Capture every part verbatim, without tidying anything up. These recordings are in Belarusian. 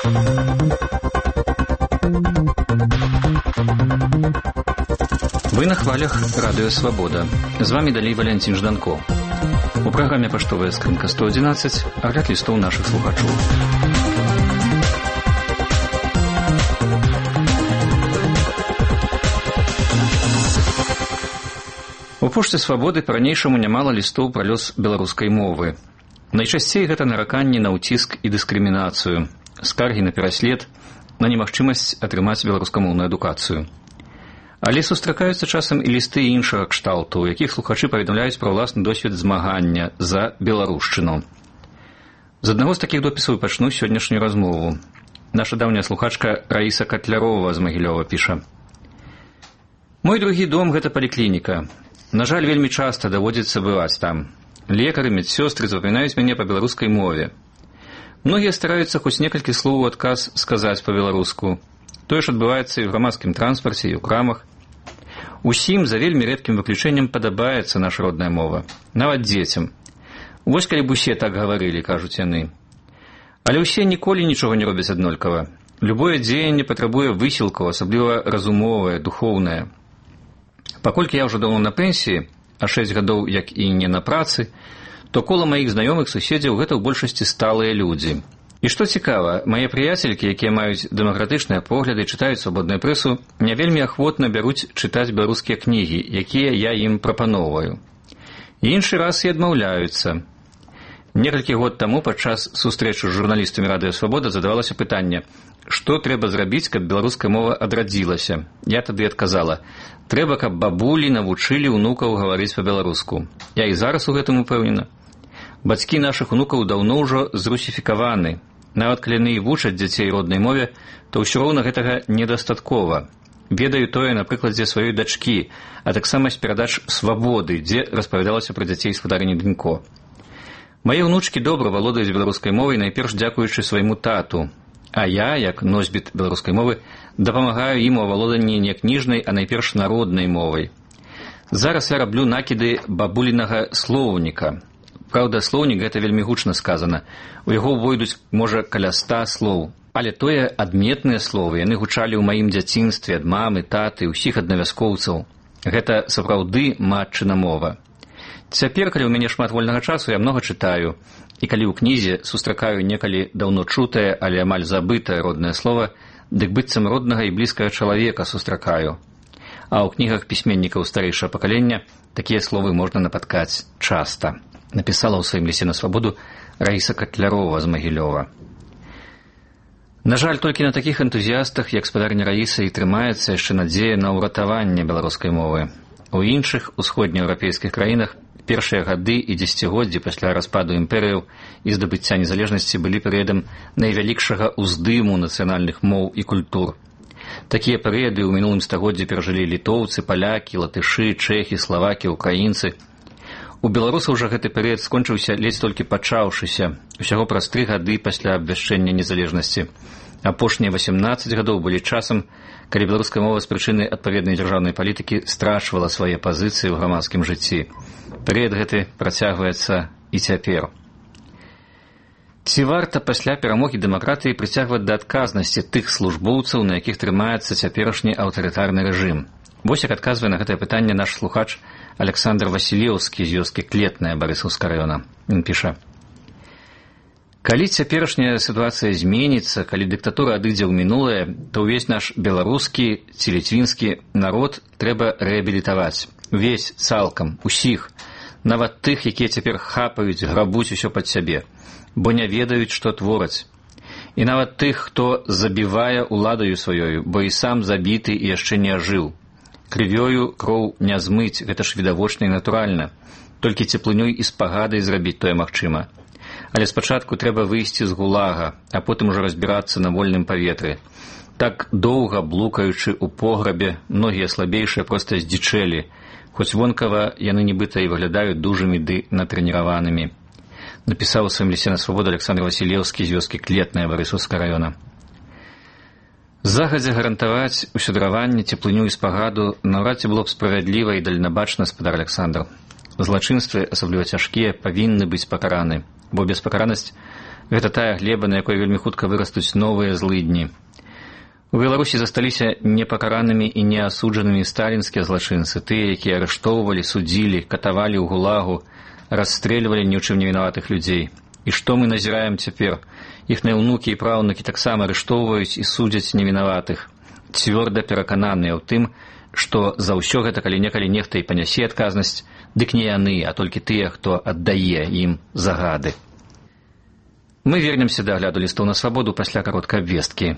Вы на хвалях Радыё Свабода. З вами далей Валянцін Жданко. У праграме «Паштовая скрынка сто адзінаццаць» агляд лістоў нашых слухачоў. У пошце Свабоды па-ранейшаму нямала лістоў пра лёс беларускай мовы. Найчасцей гэта нараканні на ўціск і дыскрымінацыю, скаргі на пераслед, на немагчымасць атрымаць беларускамоўную адукацыю. Але сустракаюцца часам і лісты іншага кшталту, у якіх слухачы паведамляюць пра ўласны досвед змагання за беларушчыну. З аднаго з такіх допісаў пачну сённяшнюю размову. Наша даўняя слухачка Раіса Катлярова з Магілёва піша: «Мой другі дом – гэта паліклініка. На жаль, вельмі часта даводзіцца бываць там. Лекары, медсёстры запамінаюць мяне па беларускай мове. Многія стараюцца хоць некалькі слоў у адказ сказаць па-беларуску. Тое ж адбываецца і ў грамадскім транспарце, і ў крамах. Усім, за вельмі рэдкім выключэннем, падабаецца наша родная мова. Нават дзецям. Вось калі б усе так гаварылі, кажуць яны. Але ўсе ніколі нічога не робяць аднолькава. Любое дзеянне патрабуе высілкаў, асабліва разумовае, духоўнае. Паколькі я ўжо даўно на пенсіі, а шэсць гадоў, як і не на працы, то кола маіх знаёмых суседзяў гэта ў большасці сталыя людзі. І што цікава, мае прыяцелькі, якія маюць дэмакратычныя погляды, чытаюць свабодную прэсу, не вельмі ахвотна бяруць чытаць беларускія кнігі, якія я ім прапаноўваю. Іншы раз і адмаўляюцца. Некалькі год таму падчас сустрэчы з журналістамі Радыё Свабода задавалася пытанне, што трэба зрабіць, каб беларуская мова адрадзілася. Я тады адказала: трэба, каб бабулі навучылі ўнукаў гаварыць па-беларуску. Я і зараз у гэтым упэўнена. Бацькі нашых унукаў даўно ўжо зрусіфікаваны. Нават калі яны і вучаць дзяцей роднай мове, то ўсё роўна гэтага недастаткова. Ведаю тое на прыкладзе сваёй дачкі, а таксама з перадач «Свабоды», дзе распавядалася пра дзяцей спадарыні Дынько. Мае ўнучкі добра валодаюць беларускай мовай, найперш дзякуючы свайму тату. А я, як носьбіт беларускай мовы, дапамагаю ім у авалоданні не кніжнай, а найперш народнай мовай. Зараз я раблю накіды бабулінага слоўніка. Праўда, слоўнік гэта вельмі гучна сказана. У яго ўвойдуць, можа, каля ста слоў. Але тое адметныя словы, яны гучалі ў маім дзяцінстве ад мамы, таты, усіх аднавяскоўцаў. Гэта сапраўды матчына мова. Цяпер, калі ў мяне шмат вольнага часу, я многа чытаю. І калі ў кнізе сустракаю некалі даўно чутае, але амаль забытае роднае слова, дык быццам роднага і блізкага чалавека сустракаю. А ў кнігах пісьменнікаў старэйшага пакалення такія словы можна напаткаць часта. Напісала ў сваім лісце на Свабоду Раіса Катлярова з Магілёва. На жаль, толькі на такіх энтузіястах, як спадарня Раіса, і трымаецца яшчэ надзея на ўратаванне беларускай мовы. У іншых усходнееўрапейскіх краінах першыя гады і дзесяцігоддзі пасля распаду імперыяў і здабыцця незалежнасці былі перыядам найвялікшага ўздыму нацыянальных моў і культур. Такія перыяды ў мінулым стагоддзі перажылі літоўцы, палякі, латышы, чэхі, славакі, украінцы. У беларусаў жа гэты перыяд скончыўся ледзь толькі пачаўшыся, усяго праз тры гады пасля абвяшчэння незалежнасці. Апошнія васемнаццаць гадоў былі часам, калі беларуская мова з прычыны адпаведнай дзяржаўнай палітыкі страчвала свае пазіцыі ў грамадскім жыцці. Перыяд гэты працягваецца і цяпер. Ці варта пасля перамогі дэмакратыі прыцягваць да адказнасці тых службоўцаў, на якіх трымаецца цяперашні аўтарытарны рэжым? Вось як адказвае на гэтае пытанне наш слухач Александр Васілеўскі з вёскі Клетная Барысаўскага раёна. Ён піша: «Калі цяперашняя сітуацыя зменіцца, калі дыктатура адыдзе ў мінулае, то ўвесь наш беларускі ці ліцвінскі народ трэба рэабілітаваць. Увесь, цалкам, усіх, нават тых, якія цяпер хапаюць, грабуць усё пад сябе, бо не ведаюць, што твораць. І нават тых, хто забівае уладаю сваёю, бо і сам забіты і яшчэ не ажыў. Крывёю кроў не змыць, гэта ж відавочна і натуральна. Толькі цеплынёй і спагадай зрабіць тое магчыма. Але спачатку трэба выйсці з гулага, а потым ужо разбірацца на вольным паветры. Так доўга блукаючы ў пограбе, многія слабейшыя проста здзічэлі, хоць вонкава яны нібыта і выглядаюць дужымі ды натрэніраванымі. Напісаў у сваім лісце на Свабоду Александр Васілеўскі з вёскі Клетная Барысаўскага раёна. Загадзя гарантаваць усюдраванне, цеплыню і спагаду наўрад ці было б справядліва і дальнабачна, спадар Александр. Злачынствы, асабліва цяжкія, павінны быць пакараны. бо беспакаранасць – гэта тая глеба, на якой вельмі хутка вырастуць новыя злыдні. У Беларусі засталіся непакаранымі і неасуджанымі сталінскія злачынцы, тыя, якія арыштоўвалі, судзілі, катавалі ў гулагу, расстрэльвалі ні ў чым не вінаватых людзей. І што мы назіраем цяпер? Іхныя ўнукі і праўнукі таксама арыштоўваюць і судзяць невінаватых, цвёрда перакананыя ў тым, што за ўсё гэта калі-некалі нехта і панясе адказнасць, дык не яны, а толькі тыя, хто аддае ім загады. Мы вернемся да агляду лістоў на свабоду пасля кароткай абвесткі.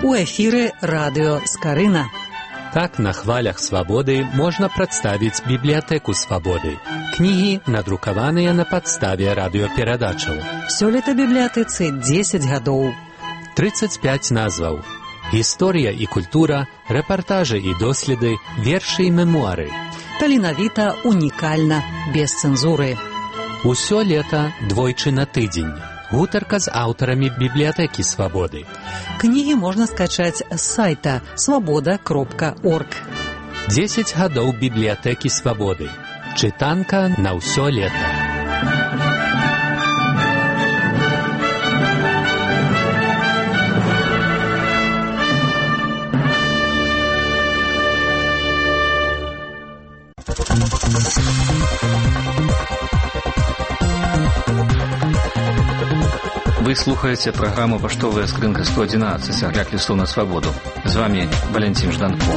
У эфіры радыё Скарына. Так на хвалях свабоды можна прадставіць бібліятэку свабоды. Кнігі надрукаваныя на падставе радыёперадачаў. Сёлета бібліятэцы дзесяць гадоў. трыццаць пяць назваў. Гісторыя і культура, рэпартажы і доследы, вершы і мемуары. Таленавіта, унікальна, без цэнзуры. Усё лета двойчы на тыдзень. Гутарка з аўтарамі бібліятэкі свабоды. Кнігі можна скачаць з сайта свабода кропка орг. дзесяць гадоў бібліятэкі свабоды. Чытанка на ўсё лета. Вы слухаеце праграму «Паштовая скрынка сто адзінаццаць», агляд лістоў на свабоду. З вами Валентин Жданко.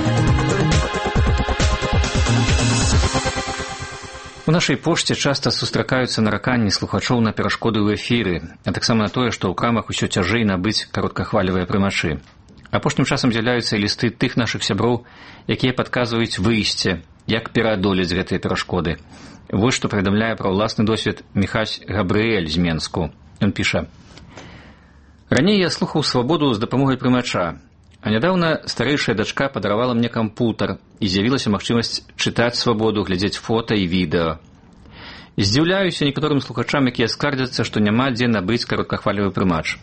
У нашай пошце часта сустракаюцца нараканні слухачоў на перашкоды ў эфіры, а таксама на тое, што ў крамах усё цяжэй набыць кароткахвалевыя прымачы. Апошнім часам з'яўляюцца і лісты тых нашых сяброў, якія падказваюць выйсце, як пераадолець гэтыя перашкоды. Вось што паведамляе пра ўласны досвед Міхась Габрыэль з Менску. Ён піша: «Раней я слухаў свабоду з дапамогай прымача, а нядаўна старэйшая дачка падаравала мне кампутар і з'явілася магчымасць чытаць свабоду, глядзець фота і відэа. Здзіўляюся некаторым слухачам, якія скардзяцца, што няма дзе набыць кароткахвалевы прымач.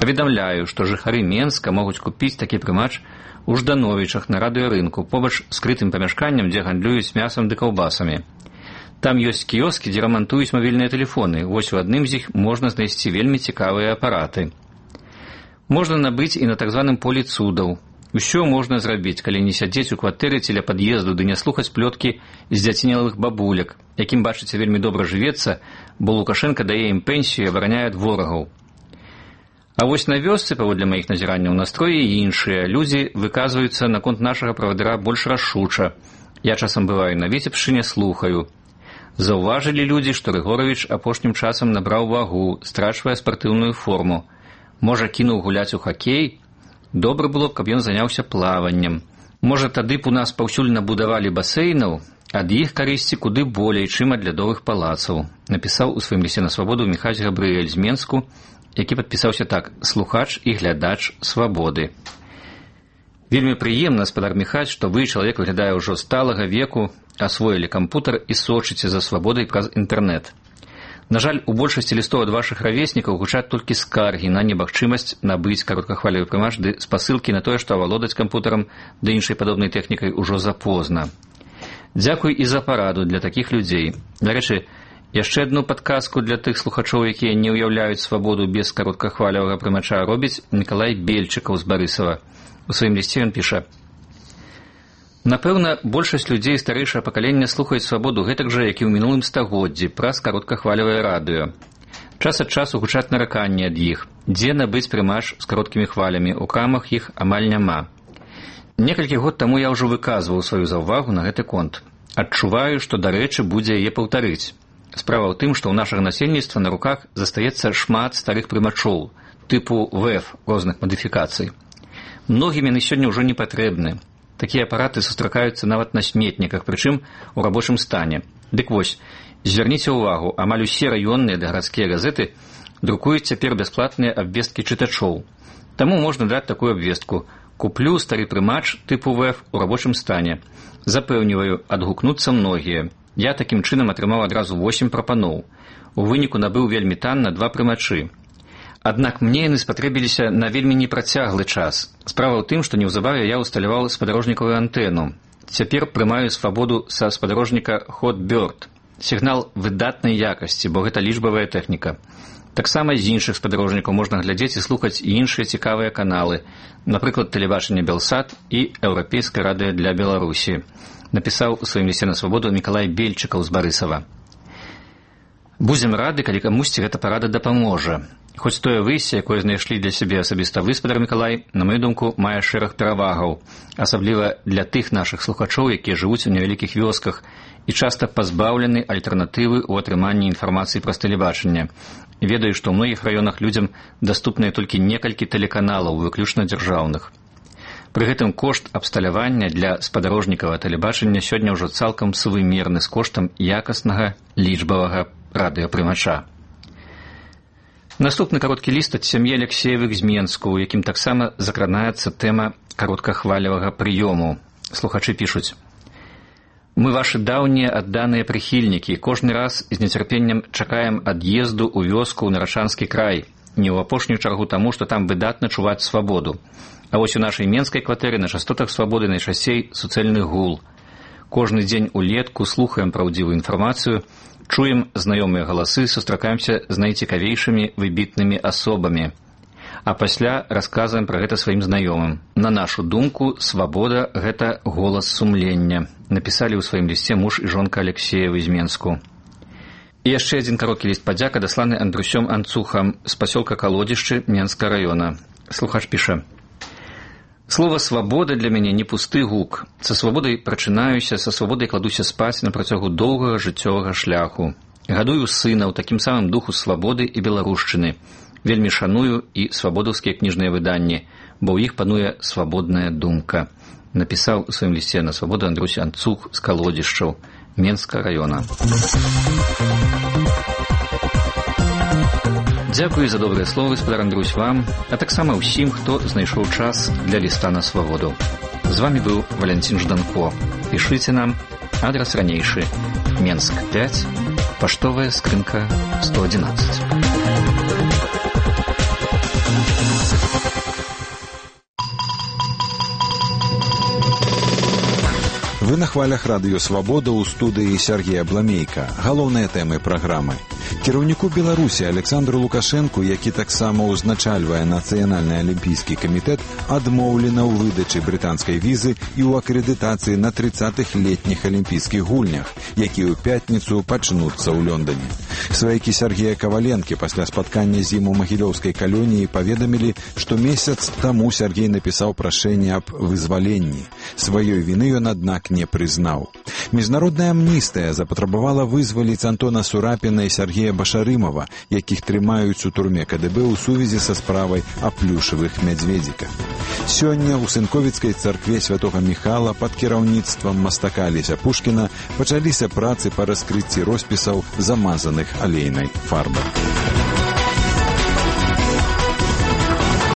Паведамляю, што жыхары Менска могуць купіць такі прымач у Ждановічах на радыёрынку, побач з скрытым памяшканнем, дзе гандлююць мясам ды каўбасамі. Там ёсць кіёскі, дзе рамантуюць мабільныя тэлефоны. Вось у адным з іх можна знайсці вельмі цікавыя апараты. Можна набыць і на так званым полі цудаў. Усё можна зрабіць, калі не сядзець у кватэры ці ля пад'езду ды не слухаць плёткі з дзяцінелых бабуляк, якім, бачыце, вельмі добра жывецца, бо Лукашенка дае ім пенсію і абараняе ад ворагаў. А вось на вёсцы, паводле маіх назіранняў, настроі іншыя. Людзі выказваюцца наконт нашага правадыра больш рашуча. Я часам бываю на Віцебшчыне, слухаю. Заўважылі людзі, што Рыгоравіч апошнім часам набраў вагу, страчвае спартыўную форму. Можа, кінуў гуляць у хакей? Добра было б, каб ён заняўся плаваннем. Можа, тады б у нас паўсюль набудавалі басейнаў? Ад іх карысці куды болей, чым ад лядовых палацаў», напісаў у сваім лісце на свабоду Міхась Габрыэль з Менску, які падпісаўся так: «Слухач і глядач свабоды». Вельмі прыемна, спадар Міхась, што вы, чалавек выглядае ўжо сталага веку, асвоілі кампутар і сочыце за свабодай праз інтэрнэт. На жаль, у большасці лістоў ад вашых равеснікаў гучаць толькі скаргі на немагчымасць набыць кароткахвалевы прымач ды спасылкі на тое, што авалодаць кампутарам ды іншай падобнай тэхнікай ужо запозна. Дзякуй і за параду для такіх людзей. Дарэчы, яшчэ адну падказку для тых слухачоў, якія не ўяўляюць свабоду без кароткахвалевага прымача, робіць Мікалай Бельчыкаў з Барысава. У сваім лісце ён піша: «Напэўна, большасць людзей старэйшага пакалення слухаюць свабоду гэтак жа, як і ў мінулым стагоддзі, праз кароткахвалевае радыё. Час ад часу гучаць нараканні ад іх. Дзе набыць прымач з кароткімі хвалямі? У крамах іх амаль няма. Некалькі год таму я ўжо выказваў сваю заўвагу на гэты конт. Адчуваю, што дарэчы будзе яе паўтарыць. Справа ў тым, што ў нашага насельніцтва на руках застаецца шмат старых прымачоў, тыпу вэ эф розных мадыфікацый. Многім яны сёння ўжо не патрэбны. Такія апараты сустракаюцца нават на сметніках, прычым у рабочым стане. Дык вось, звярніце ўвагу, амаль усе раённыя ды гарадскія газеты друкуюць цяпер бясплатныя абвесткі чытачоў. Таму можна даць такую абвестку: «Куплю стары прымач тыпу вэ эф у рабочым стане». Запэўніваю, адгукнуцца многія. Я такім чынам атрымаў адразу восем прапаноў. У выніку набыў вельмі танна два прымачы. Аднак мне яны спатрэбіліся на вельмі непрацяглы час. Справа ў тым, што неўзабаве я ўсталяваў спадарожнікавую антэну. Цяпер прымаю свабоду са спадарожніка Hotbird. Сігнал выдатнай якасці, бо гэта лічбавая тэхніка. Таксама з іншых спадарожнікаў можна глядзець і слухаць і іншыя цікавыя каналы, напрыклад, тэлебачанне Белсат і Еўрапейскае радыё для Беларусі. Напісаў у сваім лісце на свабоду Мікалай Бельчыкаў з Барысава. Будзем рады, калі камусьці гэта парада дапаможа. Хоць тое выйсце, якое знайшлі для сябе асабіста вы, спадар Мікалай, на мою думку, мае шэраг перавагаў, асабліва для тых нашых слухачоў, якія жывуць у невялікіх вёсках і часта пазбаўлены альтэрнатывы ў атрыманні інфармацыі праз тэлебачанне. Ведаю, што ў многіх раёнах людзям даступныя толькі некалькі тэлеканалаў, выключна дзяржаўных. Пры гэтым кошт абсталявання для спадарожнікавага тэлебачання сёння ўжо цалкам сувымерны з коштам якаснага лічбавага радыёпрымача. Наступны кароткі ліст ад сям'і Алексеевых з Менску, у якім таксама закранаецца тэма кароткахвалевага прыёму. Слухачы пішуць: «Мы вашы даўнія адданыя прыхільнікі, кожны раз з нецярпеннем чакаем ад'езду ў вёску ў Нарачанскі край, не ў апошнюю чаргу таму, што там выдатна чуваць свабоду. А вось у нашай менскай кватэры на частотах свабоды найчасцей суцэльны гул. Кожны дзень улетку слухаем праўдзівую інфармацыю, чуем знаёмыя галасы, сустракаемся з найцікавейшымі выбітнымі асобамі. А пасля расказваем пра гэта сваім знаёмым. На нашу думку, свабода – гэта голас сумлення», напісалі ў сваім лісце муж і жонка Алексеевы з Менску. І яшчэ адзін кароткі ліст падзяка, дасланы Андрусём Анцухам з пасёлка Калодзішчы Менскага раёна. Слухач піша: «Слово «свабода» для мяне не пусты гук. Са свабодай прачынаюся, са свабодай кладуся спаць на працягу доўгага жыццёвага шляху. Гадую сына ў такім самым духу свабоды і беларушчыны. Вельмі шаную і свабодаўскія кніжныя выданні, бо ў іх пануе свабодная думка», напісаў у сваім лісце на свабоду Андрусь Анцух з Калодзішчаў Менскага раёна. Дзякуй за добрыя словы, спадар Андрусь, вам, а таксама ўсім, хто знайшоў час для ліста на свабоду. З вамі быў Валянцін Жданко. Пішыце нам, адрас ранейшы: Менск пяць, паштовая скрынка сто адзінаццаць. Вы на хвалях радыё «Свабода» ў студыі Сергея Бламейка. Галоўныя тэмы праграмы. Кіраўніку Беларусі Александру Лукашэнку, які таксама ўзначальвае Нацыянальны алімпійскі камітэт, адмоўлена ў выдачы брытанскай візы і ў акрэдытацыі на трыццатых летніх алімпійскіх гульнях, якія ў пятніцу пачнуцца ў Лондоне. Сваякі Сергея Каваленкі пасля спаткання з ім у магілёўскай калоніі паведамілі, што месяц таму Сергей напісаў прашэнне аб вызваленні. Сваёй віны ён, аднак, не прызнаў. Міжнародная амністыя запатрабавала вызваліць Антона Сурапіна і Сергея Башарымова, якіх трымаюць у турме ка дэ бэ ў сувязі са справай о плюшавых мядзведзіках. Сёння ў Сынковіцкай царкве святога Міхала пад кіраўніцтвам мастака Алеся Пушкіна пачаліся працы па раскрыцці роспісаў, замазаных алейнай фарбай.